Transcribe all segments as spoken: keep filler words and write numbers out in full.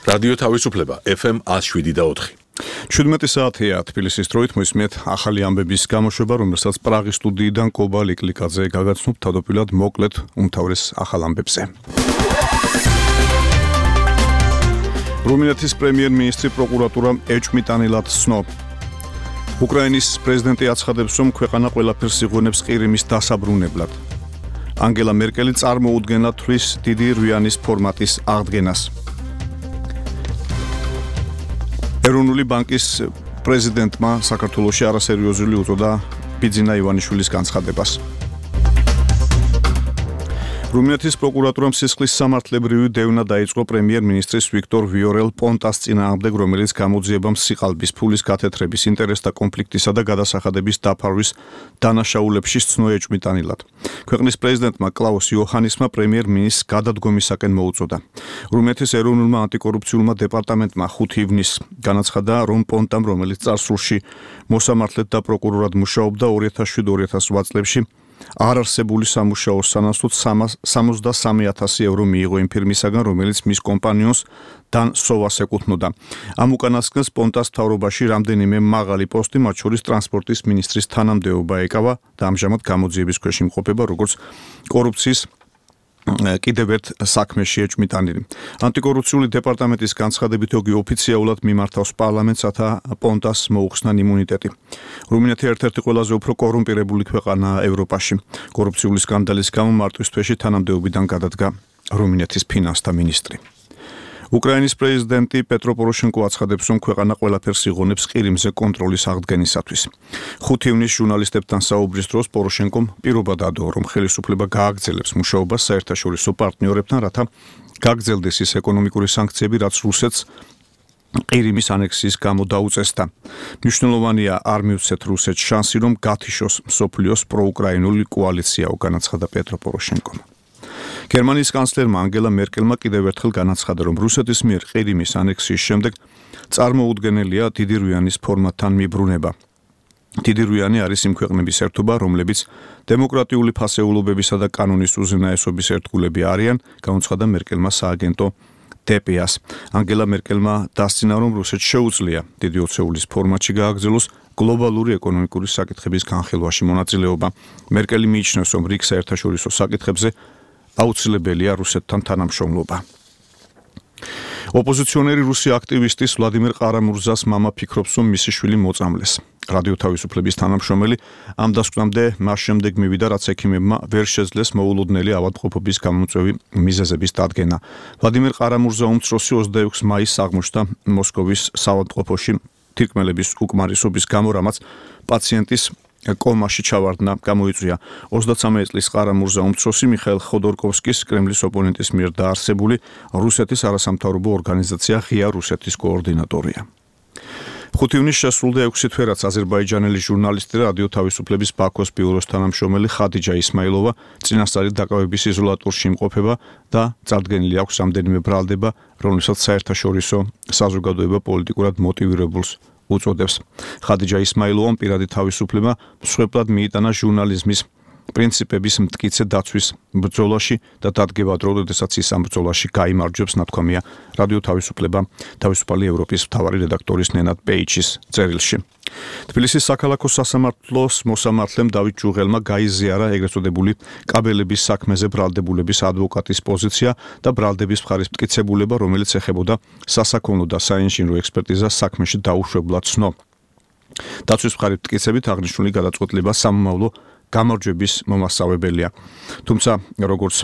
რადიო თავისუფლება ეფ ემ ათს შვიდი და ოთხი. შვიდმეტი საათია თბილისის დროით მოისმენთ ახალი ამბების გამოშვება, რომელსაც პრაღის სტუდიიდან კობა ლიკლიკაძე გაგაცნობ თავდაპირველად მოკლედ უმთავრეს ახალ ამბებზე. რუმინეთის პრემიერ-მინისტრი პროკურატურამ ეჭვმიტანილად ცნო. უკრაინის პრეზიდენტი აცხადებს, რომ ქვეყანა ყველაფერს იღუნებს ყირიმის დასაბრუნებლად. ანგელა მერკელი წარმოუდგენლად თვლის დიდი რვიანის ფორმატის აღდგენას. ეროვნული ბანკის პრეზიდენტმა საქართველოში არასერიოზული უწოდა ბიძინა ივანიშვილის განცხადებას. რუმინეთის პროკურატურამ სისხლის სამართლებრივი დევნა დაიწყო პრემიერ-მინისტრის ვიქტორ ვიორელ-პონტას წინააღმდეგ, რომელიც გამოძიებამ სიყალბის ფულის გათეთრების, ინტერესთა კონფლიქტისა და გადასახადების დაფარვის დანაშაულებში სცნო ეჭვმიტანილად. ქვეყნის პრეზიდენტმა კლაუს იოჰანისმა პრემიერ-მინისტრს გადადგომისაკენ მოუწოდა. რუმინეთის ეროვნულმა ანტიკორუფციულმა დეპარტამენტმა ხუთი ივნისს განაცხადა, რომ პონტამ, რომელიც წარსულში მოსამართლედ და პროკურორად მუშაობდა ორი ათას შვიდ ორი ათას რვა წლებში, არ არსებული სამუშაოს სანაცვლოდ სამოცდასამი ათასი ევრო მიიღო იმ ფირმისაგან, რომელიც მის კომპანიონს დან სოვას ეკუთვნოდა. ამ უკანასკნელს პონტას მთავრობაში რამდენიმე მაღალი პოსტი, მათ შორის ტრანსპორტის მინისტრის თანამდებობა ეკავა და ამჟამად გამოძიების ქვეშ იმყოფება, როგორც კორუფციის კიდევ ერთ საქმეში ეჭვმიტანილი. ანტიკორუფციული დეპარტამენტის განცხადებით, იგი ოფიციალურად მიმართავს პარლამენტს, რათა პონტას მოუხსნან იმუნიტეტი. რუმინეთი ერთ-ერთი ყველაზე უფრო კორუმპირებული ქვეყანაა ევროპაში. კორუფციული სკანდალის გამო მარტვის თვეში თანამდებობიდან გადადგა რუმინეთის ფინანსთა მინისტრი. უკრაინის პრეზიდენტი პეტრო პოროშენკო აცხადებს, რომ ქვეყანა ყველაფერს იღონებს ყირიმზე კონტროლის აღდგენისათვის. ხუთი ივნისს ჟურნალისტებთან საუბრის დროს პოროშენკომ პირობა დადო, რომ ხელისუფლება გააგრძელებს მუშაობას საერთაშორისო პარტნიორებთან, რათა გაგრძელდეს ის ეკონომიკური სანქციები, რაც რუსეთს ყირიმის ანექსიის გამო დაუწესდა. მნიშვნელოვანია არ მივცეთ რუსეთს შანსი, რომ გათიშოს მსოფლიოს პროუკრაინული კოალიციაო, განაცხადა პეტრო პოროშენკომ. გერმანიის კანცლერმა ანგელა მერკელმა კიდევ ერთხელ განაცხადა, რომ რუსეთის მიერ ყირიმის ანექსიის შემდეგ წარმოუდგენელია დიდი რვიანის ფორმატთან მიბრუნება. დიდი რვიანი არის იმ ქვეყნების ერთობა, რომლებიც დემოკრატიული ფასეულობებისა და კანონის უზენაესობის ერთგულები არიან, განუცხადა მერკელმა სააგენტო დე პე ას. ანგელა მერკელმა დასცინა, რომ რუსეთს შეუძლია დიდი ოცეულის ფორმატში გააგრძელოს გლობალური ეკონომიკური საკითხების განხილვაში მონაწილეობა. მერკელი მიიჩნევს, რომ რიგ საერთაშორისო საკითხებზე აუცილებელია რუსეთთან თანამშრომლობა. ოპოზიციონერი რუსი აქტივისტის ვლადიმერ ყარამურზას მამა ფიქრობს, რომ მისი შვილი მოწამლეს. რადიო თავისუფლების თანამშრომელი ამ დასკვნამდე მას შემდეგ მივიდა, რაც ექიმებმა ვერ შეძლეს მოულოდნელი ავადმყოფობის გამომწვევი მიზეზების დადგენა. ვლადიმერ ყარამურზა უმცროსი ოცდაექვსი მაისს აღმოჩნდა მოსკოვის საავადმყოფოში თირკმელების უკმარისობის გამო, რამაც პაციენტის კომაში ჩავარდნა გამოიწვია. ოცდაცამეტ წლის ყარამურზა უმცროსი მიხაილ ხოდორკოვსკის, კრემლის ოპონენტის მიერ დაარსებული რუსეთის არასამთავრობო ორგანიზაცია ღია რუსეთის კოორდინატორია. ხუთი ივნისს შესრულდა ექვსი თვე, რაც აზერბაიჯანელი ჟურნალისტი და რადიო თავისუფლების ბაქოს ბიუროს თანამშრომელი ხადიჯა ისმაილოვა წინასწარი დაკავების იზოლატორში იმყოფება და წარდგენილი აქვს რამდენიმე ბრალდება, რომლებსაც საერთაშორისო საზოგადოება პოლიტიკურად მოტივირებულს უწოდებს. ხადიჯა ისმაილოვამ პირადი თავისუფლება მსხვერპლად მიიტანა ჟურნალიზმის პრინციპების მტკიცე დაცვის ბრძოლაში და დადგება დრო, როდესაც ის ამ ბრძოლაში გაიმარჯვებს, ნათქვამია რადიო თავისუფლება თავისუფალი ევროპის მთავარი რედაქტორის ნენად პეიჩის წერილში. თბილისის საქალაქო სასამართლოს მოსამართლემ დავით ჯუღელმა გაიზიარა ეგრეთ წოდებული კაბელების საქმეზე ბრალდებულების ადვოკატის პოზიცია და ბრალდების მხარის მტკიცებულება, რომელიც ეხებოდა სასაქონლო და საინჟინრო ექსპერტიზას საქმეში დაუშვებლად ცნო. დაცვის მხარის მტკიცებით აღნიშნული გადაწყვეტილება სამომავლო გამარჯვების მომასწავებელია. თუმცა, როგორც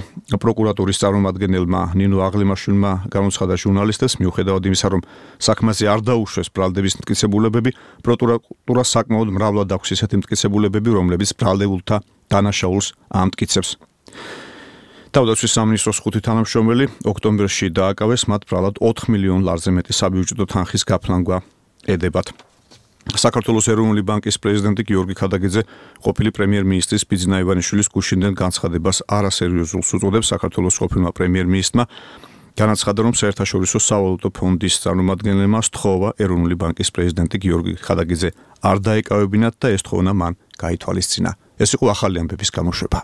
პროკურატურის წარმომადგენელმა ნინო აღლიმაშვილმა განუცხადა ჟურნალისტებს, მიუხედავად იმისა, რომ საქმეზე არ დაუშვეს ბრალდების მტკიცებულებები, პროკურატურა საკმაოდ მრავლად აქვს ისეთი მტკიცებულებები, რომლებიც ბრალდებულთა დანაშაულს ამტკიცებს. თავდაცვის სამინისტროს ხუთი თანამშრომელი ოქტომბერში დააკავეს, მათ ბრალად ოთხ მილიონ ლარზე მეტი საბიუჯეტო თანხის გაფლანგვა ედებათ. საქართველოს ეროვნული ბანკის პრეზიდენტი გიორგი ქადაგიძე ყოფილი პრემიერ-მინისტრის ბიძინა ივანიშვილის გუშინდელ განცხადებას არასერიოზულს უწოდებს. საქართველოს ყოფილმა პრემიერ-მინისტრმა განაცხადა, რომ საერთაშორისო სავალუტო ფონდის წარმომადგენლებმა სთხოვა ეროვნული ბანკის პრეზიდენტი გიორგი ქადაგიძე არ დაეკავებინათ და ეს თხოვნა მან გაითვალისწინა. ეს იყო ახალი ამბების გამოშვება.